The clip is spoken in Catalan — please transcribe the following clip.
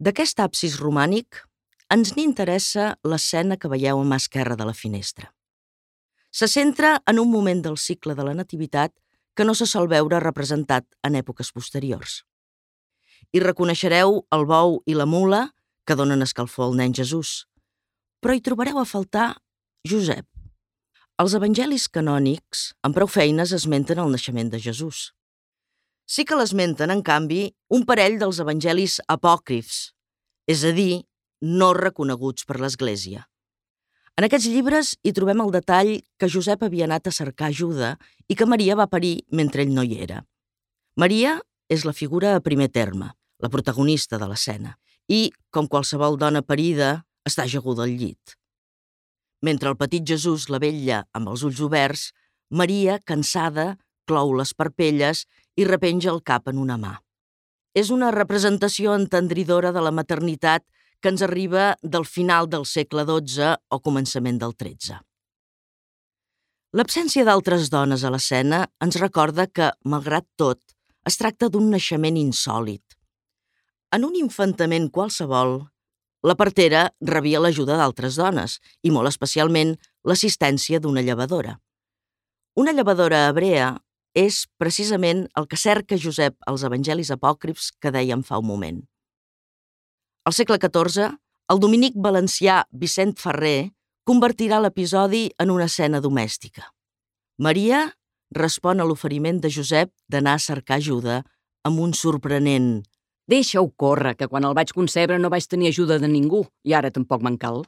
D'aquest absis romànic ens n'interessa l'escena que veieu a mà esquerra de la finestra. Se centra en un moment del cicle de la Nativitat que no se sol veure representat en èpoques posteriors. Hi reconeixereu el bou i la mula que donen escalfor al nen Jesús, però hi trobareu a faltar Josep. Els evangelis canònics amb prou feines esmenten el naixement de Jesús. Sí que l'esmenten, en canvi, un parell dels evangelis apòcrifs, és a dir, no reconeguts per l'Església. En aquests llibres hi trobem el detall que Josep havia anat a cercar ajuda i que Maria va parir mentre ell no hi era. Maria és la figura a primer terme, la protagonista de l'escena, i, com qualsevol dona parida, està ajaguda al llit. Mentre el petit Jesús la vetlla amb els ulls oberts, Maria, cansada, clou les parpelles i repenja el cap en una mà. És una representació entendridora de la maternitat que ens arriba del final del segle XII o començament del XIII. L'absència d'altres dones a l'escena ens recorda que, malgrat tot, es tracta d'un naixement insòlit. En un infantament qualsevol, la partera rebia l'ajuda d'altres dones i, molt especialment, l'assistència d'una llevadora. Una llevadora hebrea és precisament el que cerca Josep als evangelis apòcrifs que dèiem fa un moment. Al segle XIV, el dominic valencià Vicent Ferrer convertirà l'episodi en una escena domèstica. Maria respon a l'oferiment de Josep d'anar a cercar ajuda amb un sorprenent: «Deixa-ho córrer, que quan el vaig concebre no vaig tenir ajuda de ningú, i ara tampoc me'n cal».